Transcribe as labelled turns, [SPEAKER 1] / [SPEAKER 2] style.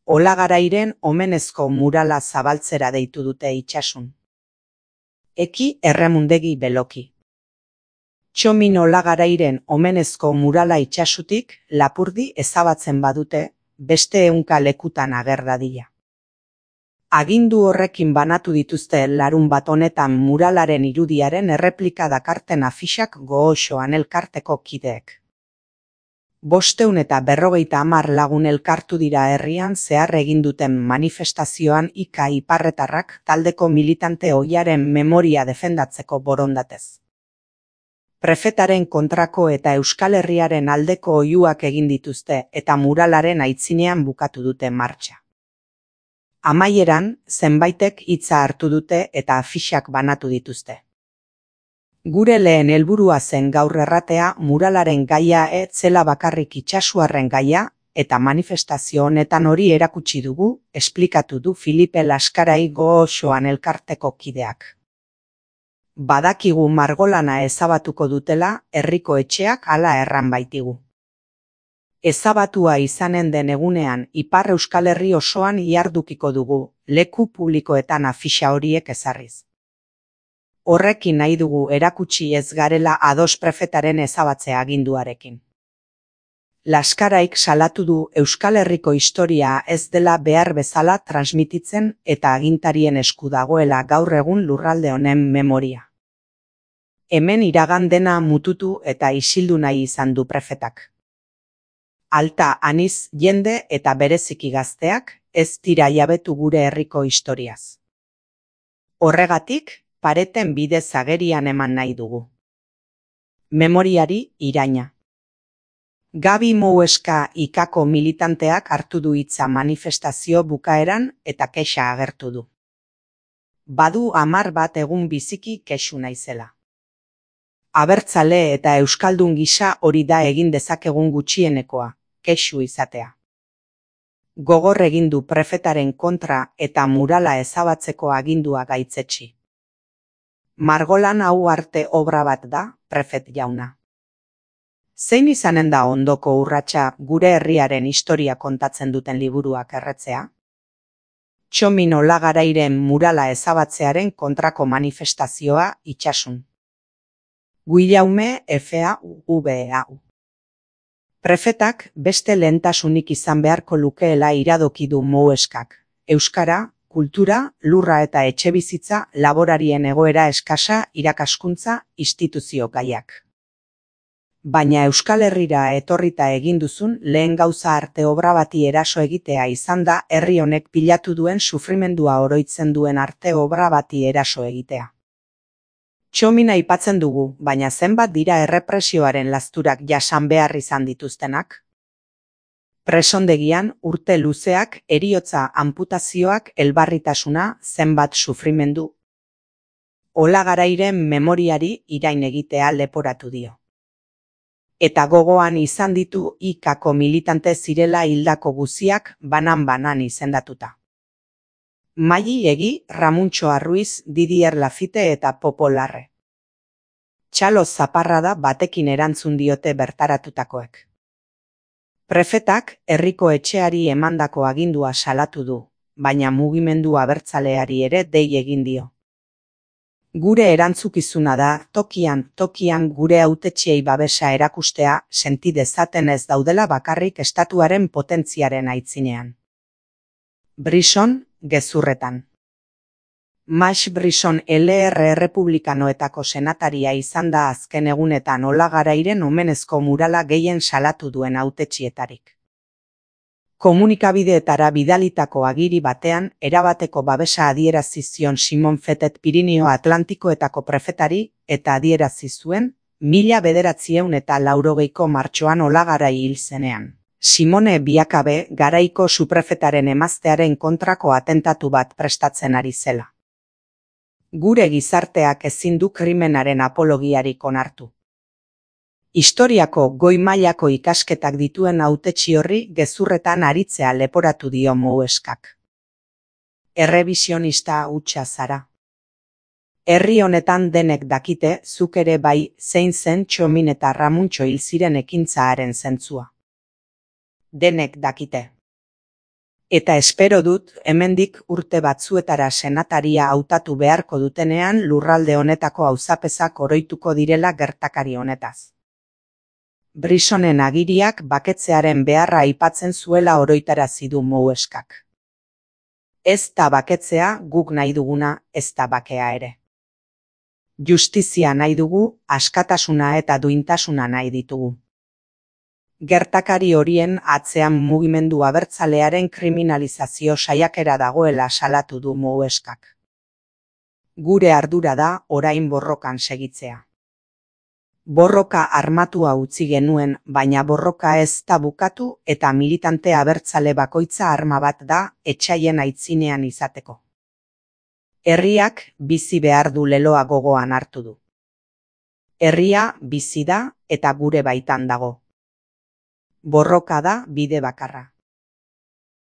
[SPEAKER 1] Olagarairen omenezko murala zabaltzera deitu dute itsasun. Eki Erremundegi Beloki. Txomin Olagarairen omenezko murala itsasutik lapurdi ezabatzen badute, beste 100 lekutan ager dadila. Agindu horrekin banatu dituzte larunbat honetan muralaren irudiaren erreplika dakarten afixak Gogoxoan elkarteko kideek. 550 lagun elkartu dira herrian zehar egin duten manifestazioan Ika Iparretarrak taldeko militante ohiaren memoria defendatzeko borondatez. Prefetaren kontrako eta Euskal Herriaren aldeko oihuak egin dituzte eta muralaren aitzinean bukatu dute martxa. Amaieran, zenbaitek hitza hartu dute eta afixak banatu dituzte. Gure lehen helburua zen gaur erratea muralaren gaia ez zela bakarrik itsasuarren gaia eta manifestazio honetan hori erakutsi dugu, esplikatu du Filipe Laskarai Gogoxoan elkarteko kideak. Badakigu margolana ezabatuko dutela herriko etxeak hala erran baitigu. Ezabatua izanen den egunean Ipar Euskal Herri osoan ihardukiko dugu, leku publikoetan afixa horiek ezarriz. Horrekin nahi dugu erakutsi ez garela ados prefetaren ezabatze aginduarekin. Laskaraik salatu du Euskal Herriko historia ez dela behar bezala transmititzen eta agintarien esku dagoela gaur egun lurralde honen memoria. Hemen iragan dena mututu eta isildu nahi izan du prefetak. Alta aniz jende eta bereziki gazteak ez dira jabetu gure herriko historiaz. Horregatik, pareten bidez agerian eman nahi dugu. Memoriari iraina. Gabi Moueska Ikako militanteak hartu du hitza manifestazio bukaeran eta kexa agertu du. Badu 10 bat egun biziki kexu naizela. Abertzale eta euskaldun gisa hori da egin dezakegun gutxienekoa, kexu izatea. Gogor egin du prefetaren kontra eta murala ezabatzeko agindua gaitzetsi. Margolan hau arte obra bat da, prefet jauna. Zein izanen da ondoko urratsa gure herriaren historia kontatzen duten liburuak erretzea? Txomin Olagarairen murala ezabatzearen kontrako manifestazioa itsasun. Guillaume FAUVAU. Prefetak beste lehentasunik izan beharko lukeela iradoki du Moueskak. Euskara, kultura, lurra eta etxebizitza, laborarien egoera eskasa, irakaskuntza, instituzio gaiak. Baina Euskal Herrira etorrita egin duzun lehen gauza arte obra bati eraso egitea izan da herri honek pilatu duen sufrimendua oroitzen duen arte obra bati eraso egitea. Txomina aipatzen dugu, baina zenbat dira errepresioaren lasturak jasan behar izan dituztenak? Presondegian urte luzeak, heriotza anputazioak, elbarritasuna, zenbat sufrimendu. Olagarairen memoriari irain egitea leporatu dio. Eta gogoan izan ditu Ikako militante zirela hildako guziak banan-banan izendatuta. Maili Egi, Ramuntxo Arruiz, Didier Lafite eta Popo Larre. Txalo zaparrada batekin erantzun diote bertaratutakoek. Prefetak herriko etxeari emandako agindua salatu du, baina mugimendu abertzaleari ere dei egin dio. Gure erantzukizuna da tokian gure hautetsiei babesa erakustea senti dezaten ez daudela bakarrik estatuaren potentziaren aitzinean. Brisson, gezurretan. Max Brisson LR Errepublikanoetako senataria izan da azken egunetan Olagarairen omenezko murala gehien salatu duen hautetsietarik. Komunikabideetara bidalitako agiri batean erabateko babesa adierazi zion Simon Fetet Pirinio Atlantikoetako prefetari eta adierazi zuen 1980ko martxoan Olagarai hil zenean. Simone Biakabe garaiko suprefetaren emaztearen kontrako atentatu bat prestatzen ari zela. Gure gizarteak ezin du krimenaren apologiarik onartu. Historiako goi mailako ikasketak dituen hautetsi horri gezurretan aritzea leporatu dio Moueskak. Errebisionista hutsa zara. Herri honetan denek dakite, zuk ere bai, zein zen Txomin eta Ramuntxo hil ziren ekintza haren zentzua. Denek dakite. Eta espero dut, hemendik urte batzuetara senataria hautatu beharko dutenean lurralde honetako auzapezak oroituko direla gertakari honetaz. Brisonen agiriak baketzearen beharra aipatzen zuela oroitarazi du Moueskak. Ez da baketzea guk nahi duguna, ez da bakea ere. Justizia nahi dugu, askatasuna eta duintasuna nahi ditugu. Gertakari horien atzean mugimendu abertzalearen kriminalizazio saiakera dagoela salatu du Moueskak. Gure ardura da orain borrokan segitzea. Borroka armatua utzi genuen, baina borroka ez da bukatu eta militante abertzale bakoitza arma bat da etsaien aitzinean izateko. Herriak bizi behar du leloa gogoan hartu du. Herria bizi da eta gure baitan dago. Borroka da bide bakarra.